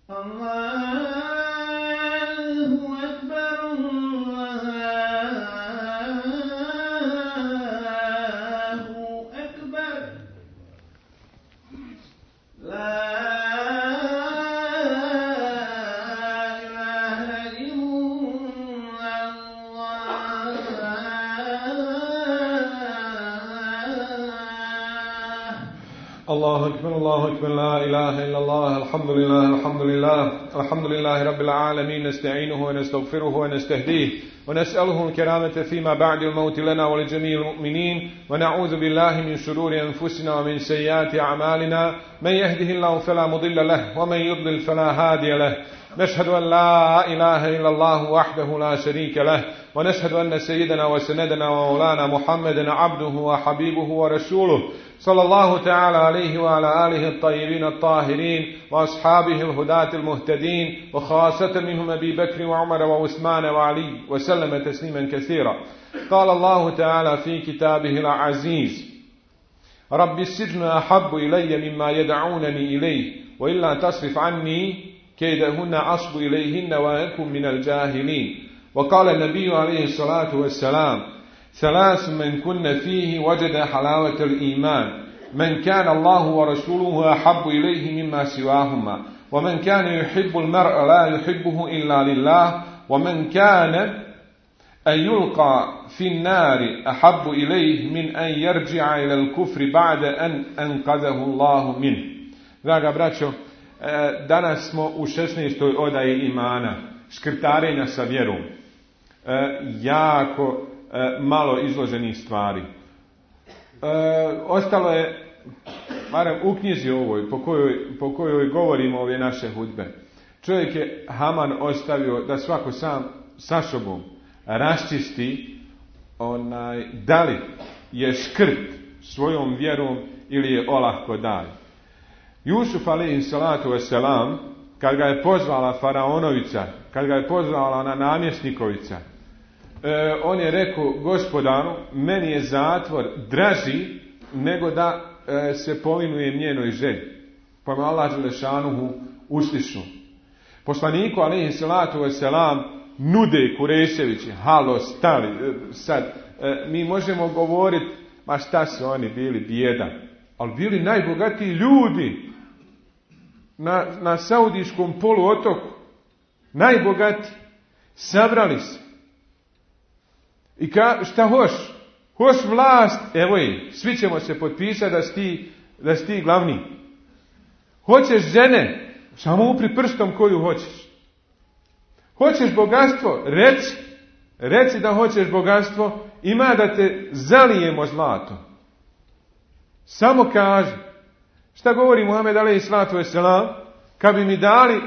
الله أكبر الله أكبر لا إله إلا الله الحمد لله الحمد لله الحمد لله رب العالمين نستعينه ونستغفره ونستهديه ونسأله الكرامة فيما بعد الموت لنا ولجميع المؤمنين ونعوذ بالله من شرور أنفسنا ومن سيئات أعمالنا من يهده الله فلا مضل له ومن يضلل فلا هادي له نشهد أن لا إله إلا الله وحده لا شريك له ونشهد أن سيدنا وسندنا ومولانا محمدا عبده وحبيبه ورسوله صلى الله تعالى عليه وعلى آله الطيبين الطاهرين وأصحابه الهداة المهتدين وخاصة منهم أبي بكر وعمر وعثمان وعلي وسلم تسليما كثيرا. قال الله تعالى في كتابه العزيز رب السجن أحب إلي مما يدعونني إليه وإلا تصرف عني كيدهن أصب إليهن وأكن من الجاهلين. وقال النبي عليه الصلاة والسلام ثلاث من كن فيه وجد حلاوة الإيمان من كان الله ورسوله أحب إليه مما سواهما ومن كان يحب المرء لا يحبه إلا لله ومن كان أن يلقى في النار أحب إليه من أن يرجع إلى الكفر بعد أن أنقذه الله منه. Draga braćo, danas smo u 16. odaji imana, škrtarenja sa vjerom. Jako malo izloženih stvari. Ostalo je, barem u knjizi ovoj, po kojoj govorimo ove naše hudbe. Čovjek je Haman ostavio da svako sam sa sobom raščisti da li je škrt svojom vjerom ili je olahko daj. Jusuf alejhi salatu vesselam, kad ga je pozvala faraonovica, kad ga je pozvala ona namjesnikovica, on je rekao gospodaru, meni je zatvor draži nego da se povinujem njenoj želji. Pa me Allah dželešanuhu uslišao. Poslaniku alejhi salatu vesselam nude Kureševići, halo, stali, sad, mi možemo govoriti, ma šta su oni bili, bijeda, ali bili najbogatiji ljudi na Saudijskom poluotoku, najbogatiji, sabrali se. I šta hoš? Hoš vlast, evo je, svi ćemo se potpisati da si ti glavni. Hoćeš žene, samo upri prstom koju hoćeš. Hoćeš bogatstvo, reci da hoćeš bogatstvo, ima da te zalijemo zlato. Samo kaži. Šta govori Muhammed alejhi salatu vesselam? Kad bi mi dali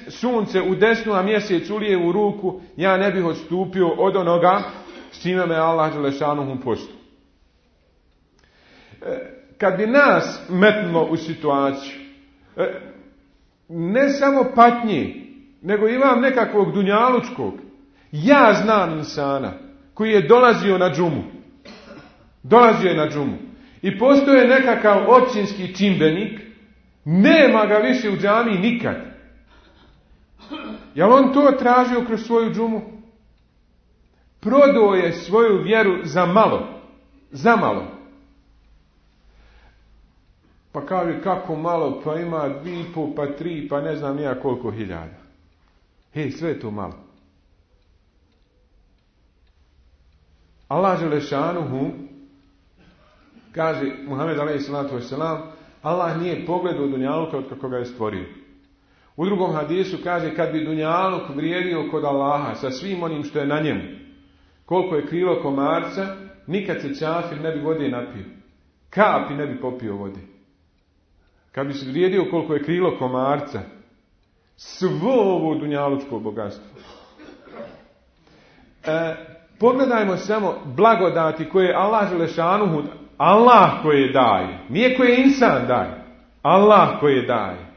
sunce u desnu, a mjesec u lijevu ruku, ja ne bih odstupio od onoga s čime me Allah dželešanuhu poslao. Kad bi nas metnulo u situaciju, ne samo patnje, nego imam nekakvog dunjalučkog, ja znam insana koji je dolazio na džumu. I postoje nekakav općinski čimbenik, nema ga više u džamiji nikad. Je li on to tražio kroz svoju džumu? Prodao je svoju vjeru za malo. Pa kaže, kako malo, pa ima 2,5, pa 3, pa ne znam nija koliko hiljada. Sve je to malo. Allah dželešanuhu kaže, Muhammed alejhi salatu vesselam, Allah nije pogledao dunjaluka od kako ga je stvorio. U drugom hadisu kaže, kad bi dunjaluk vrijedio kod Allaha sa svim onim što je na njemu, koliko je krilo komarca, nikad se čafir ne bi vode napio. Kapi ne bi popio vode. Kad bi se vrijedio koliko je krilo komarca, svo ovo dunjalučko bogatstvo. Pogledajmo samo blagodati koje Allah dželešanuhu, Allah koje daje, nije koje insan daje, Allah koje daje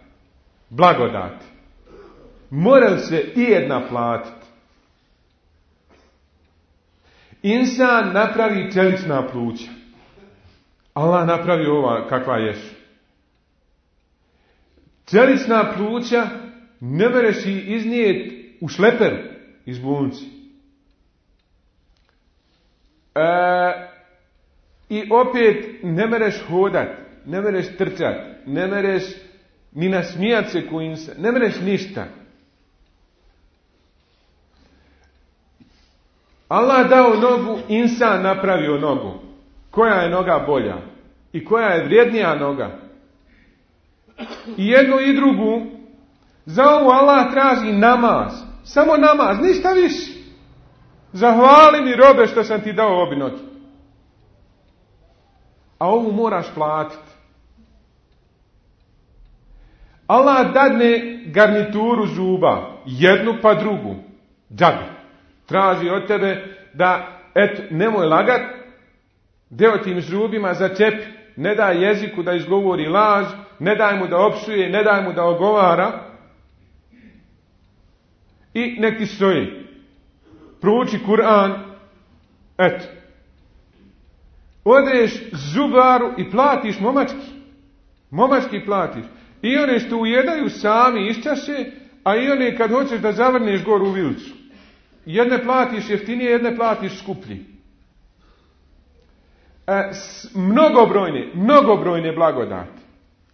blagodati. Mora li se ijedna platiti? Insan napravi čelična pluća, Allah napravi ova kakva ješu. Čelična pluća ne mereš i iznijeti u šleperu iz bolnice. I opet ne mereš hodat, ne mereš trčat, ne mereš ni nasmijat se ko insan, ne mereš ništa. Allah dao nogu, insan napravio nogu. Koja je noga bolja? I koja je vrijednija noga? I jednu i drugu, za ovu Allah traži namaz. Samo namaz, ništa više. Zahvali mi robe što sam ti dao obi noge. A ovu moraš platiti. Allah dadne garnituru zuba, jednu pa drugu, džabe. Traži od tebe da, eto, nemoj lagat, deo tim zubima začepi, ne daj jeziku da izgovori laž, ne daj mu da opsuje, ne daj mu da ogovara i nek ti stoji. Prouči Kur'an, eto. Odeš zubaru i platiš momački. Momački platiš. I one što ujedaju sami iščaše, a i one kad hoćeš da zavrneš goru u vilicu. Jedne platiš jeftinije, jedne platiš skuplji. Mnogobrojne blagodati.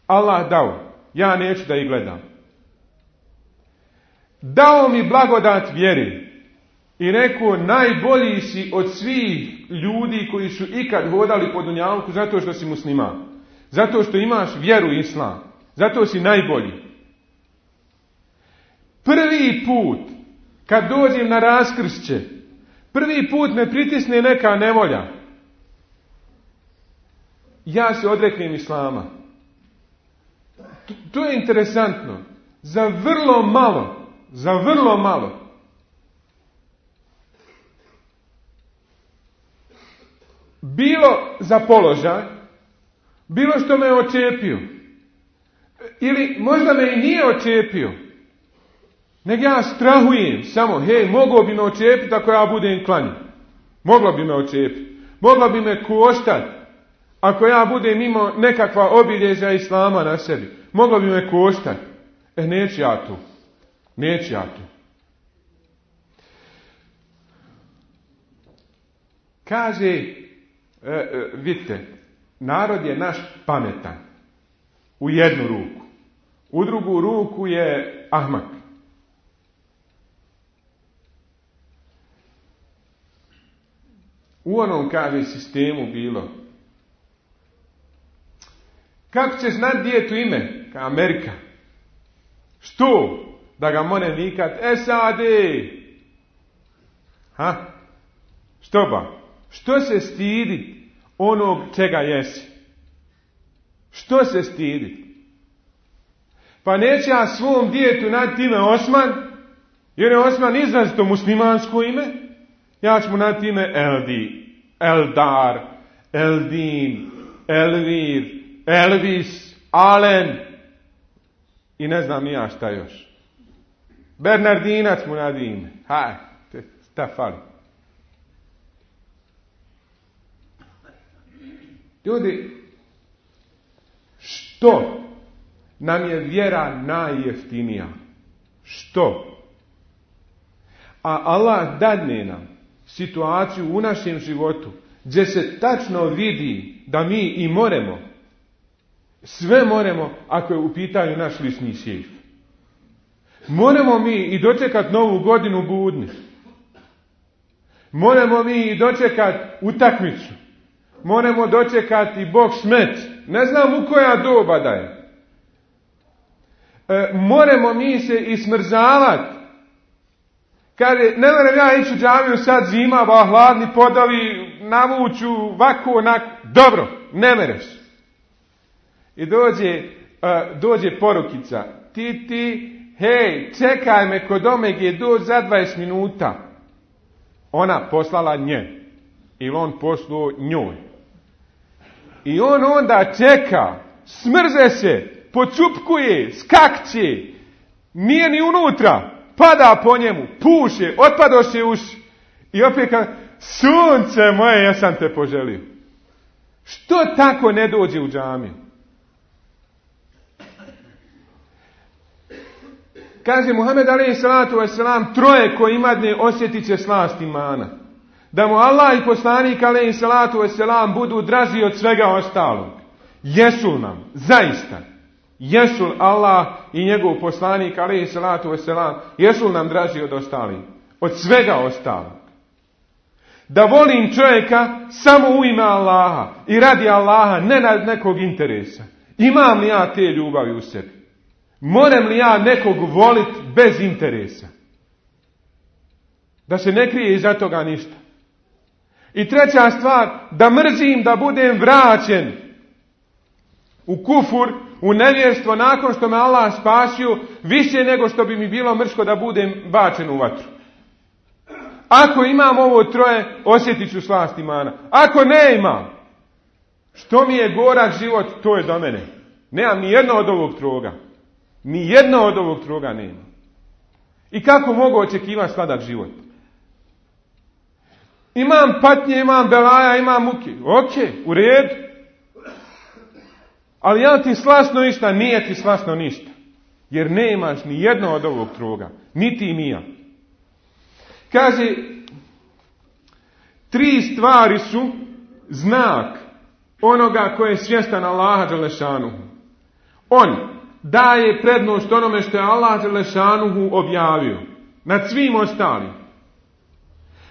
Allah dao. Ja neću da ih gledam. Dao mi blagodat vjeri. I rekao, najbolji si od svih ljudi koji su ikad hodali po dunjalku zato što si musliman. Zato što imaš vjeru islam. Zato si najbolji. Prvi put, kad dođem na raskršće, prvi put me pritisne neka nevolja. Ja se odreknem islama. To je interesantno. Za vrlo malo. Bilo za položaj, bilo što me očepio. Ili možda me i nije očepio. Nego ja strahujem samo, moglo bi me očepiti ako ja budem klanjan. Moglo bi me očepiti. Moglo bi me koštati ako ja budem imao nekakva obilježja islama na sebi. Moglo bi me koštati. Neću ja tu. Kaže, vidite, narod je naš pametan. U jednu ruku. U drugu ruku je ahmak. U onom, kaže, sistemu bilo. Kako će znat djetu ime? Ka Amerika. Što? Da ga more vikat SAD. Što ba? Što se stidi onog čega jesi? Što se stidi? Pa neće ja svom djetu nadati ime Osman, jer je Osman izrazito muslimansko ime. Ja ću mu nadati ime Eldi, Eldar, Eldin, Elvir, Elvis, Alen i ne znam ni ja šta još. Bernardinac mu nadi ime. Šta fali? Ljudi, što nam je vjera najjeftinija? Što? A Allah dadne nam situaciju u našem životu gdje se tačno vidi da mi i moremo. Sve moremo ako je u pitanju naš lični sejf. Moramo mi i dočekat novu godinu budni. Moramo mi i dočekat utakmicu. Moramo dočekati Bog smet. Ne znam u koja doba da je. Moramo mi se i smrzavati. Kaže, ne moram ja ići u džamiju sad zima, ba hladni podavi, navuću, ovako, onako. Dobro, ne mereš. I dođe porukica. Ti, hej, čekaj me kod Omege, dođi za 20 minuta. Ona poslala nje. Ili on poslao njoj. I on onda čeka, smrze se, pocupkuje, skakće, nije ni unutra, pada po njemu, puše, otpadoše uši. I opet kaže, sunce moje, ja sam te poželio. Što tako ne dođe u džamiju? Kaže Muhammed alejhi salatu vesselam, troje koji imadne osjetit će slast imana. Da mu Allah i poslanik alejhi salatu vesselam budu draži od svega ostalog. Jesu nam, zaista. Jesu Allah i njegov poslanik alejhi salatu vesselam, jesu nam draži od ostalih, od svega ostalog. Da volim čovjeka samo u ime Allaha i radi Allaha, ne radi nekog interesa. Imam li ja te ljubavi u sebi? Moram li ja nekog voliti bez interesa? Da se ne krije iza toga ništa. I treća stvar, da mrzim da budem vraćen u kufur, u nevjerstvo nakon što me Allah spasio, više nego što bi mi bilo mrsko da budem bačen u vatru. Ako imam ovo troje, osjetit ću slast imana. Ako ne imam, što mi je gorak život, to je do mene. Nemam ni jedno od ovog troga. Ni jedno od ovog troga nema. I kako mogu očekivati sladak život? Imam patnje, imam belaja, imam muke. Ok, u redu. Ali ja ti slasno ništa, nije ti slasno ništa. Jer nemaš ni jedno od ovog troga. Niti ni ja. Kaže, 3 stvari su znak onoga ko je svjestan Allaha dželešanuhu. On daje prednost onome što je Allah dželešanuhu objavio nad svim ostalim.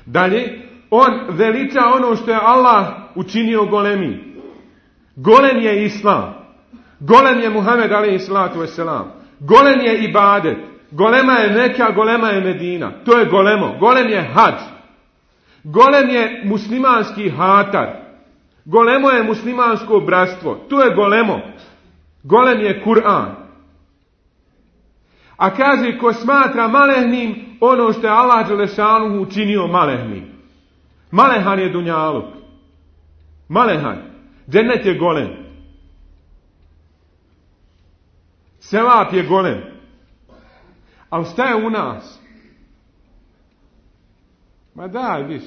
Dalje, on veliča ono što je Allah učinio golemi. Golem je Islam. Golem je Muhammed alejhi salatu vesselam. Golem je ibadet. Golema je Meka, golema je Medina. To je golemo. Golem je hadž. Golem je muslimanski hatar. Golemo je muslimansko bratstvo. To je golemo. Golem je Kur'an. A kaže, ko smatra malehnim ono što je Allah dželešanuhu učinio malehnim. Malehan je dunjaluk. Malehan. Džennet je golem. Sevap je golem. Ali šta je u nas? Ma daj, viš.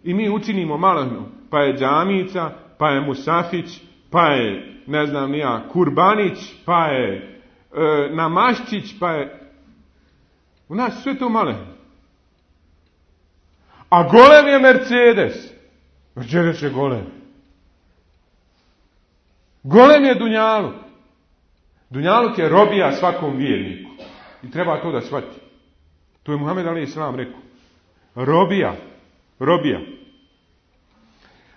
I mi učinimo malehno. Pa je džamica, pa je musafić, pa je, ne znam nija, kurbanić, pa je namaščić, pa je... U nas sve to malehno. A golem je Mercedes. Mercedes je golem. Golem je dunjaluk. Dunjaluk je robija svakom vjerniku. I treba to da shvati. To je Muhammed alejhi selam rekao. Robija. Robija.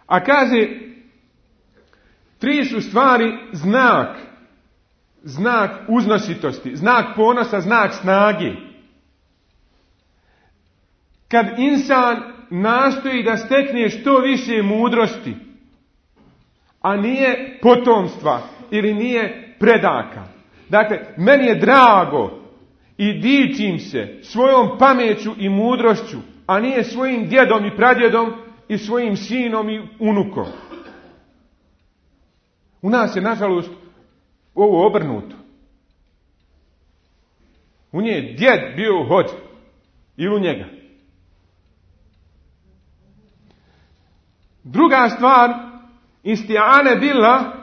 A kaže, 3 su stvari znak. Znak uznositosti. Znak ponosa, znak snage. Kad insan nastoji da stekne što više mudrosti, a nije potomstva ili nije predaka. Dakle, meni je drago i dičim se svojom pameću i mudrošću, a nije svojim djedom i pradjedom i svojim sinom i unukom. U nas je, nažalost, ovo obrnuto. U nje je djed bio hođa. Ili u njega. Druga stvar, isti'ane bila,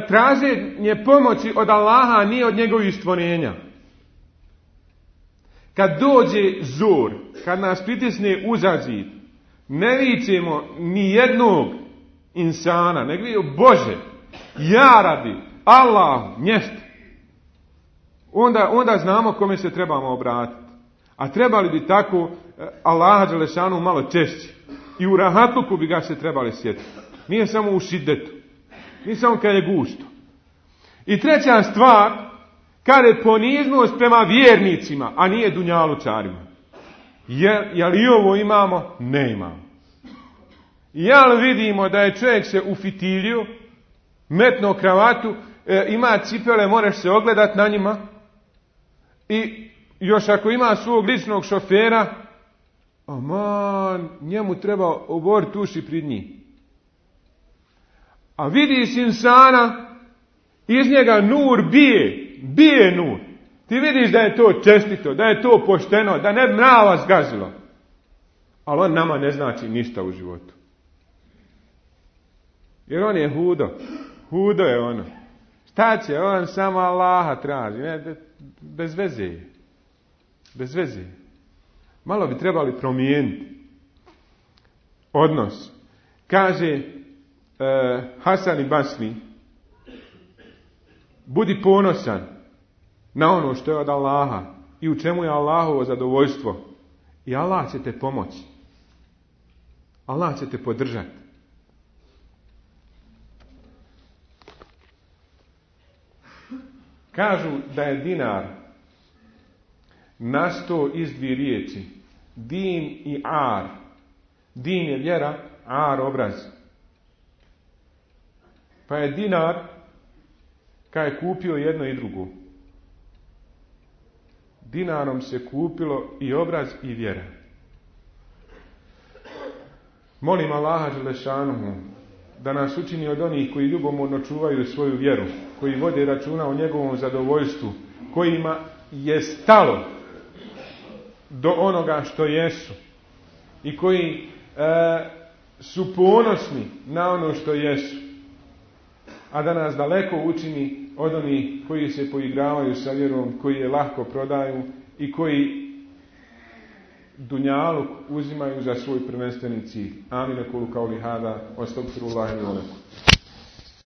traženje pomoći od Allaha, a nije od njegovih stvorenja. Kad dođe zor, kad nas pritisne uza zid, ne vičemo ni jednog insana, nego vidio Bože, ja radi, Allah, nješta. Onda znamo kome se trebamo obratiti. A trebali bi tako Allaha dželešanu malo češće. I u rahatluku bi ga se trebali sjetiti. Nije samo u šidetu. Nije samo kad je gusto. I treća stvar, kad je poniznost prema vjernicima, a nije dunjalučarima. Jel i ovo imamo? Ne imamo. Jel vidimo da je čovjek se ufitilio, metno kravatu, ima cipele, moraš se ogledat na njima, i još ako ima svog ličnog šofera, aman, njemu treba oboriti uši pred njih. A vidiš insana, iz njega nur bije nur. Ti vidiš da je to čestito, da je to pošteno, da ne mrava zgazilo. Ali on nama ne znači ništa u životu. Jer on je hudo. Hudo je ono. Šta će, on samo Allaha traži. Ne, bez veze. Bez veze. Malo bi trebali promijeniti odnos. Kaže Hasan i Basri, budi ponosan na ono što je od Allaha i u čemu je Allahovo zadovoljstvo. I Allah će te pomoći. Allah će te podržati. Kažu da je dinar nastao iz dvije riječi. Din i ar. Din je vjera, ar obraz. Pa je dinar kad je kupio jedno i drugo. Dinarom se kupilo i obraz i vjera. Molim Allaha dželešanuhu da nas učini od onih koji ljubomorno čuvaju svoju vjeru, koji vode računa o njegovom zadovoljstvu, kojima je stalo do onoga što jesu i koji su ponosni na ono što jesu, a da nas daleko učini od onih koji se poigravaju sa vjerom, koji je lahko prodaju i koji dunjaluk uzimaju za svoj prvenstveni cilj. Amin, kulu kauli hada, astagfirullahi wa lakum.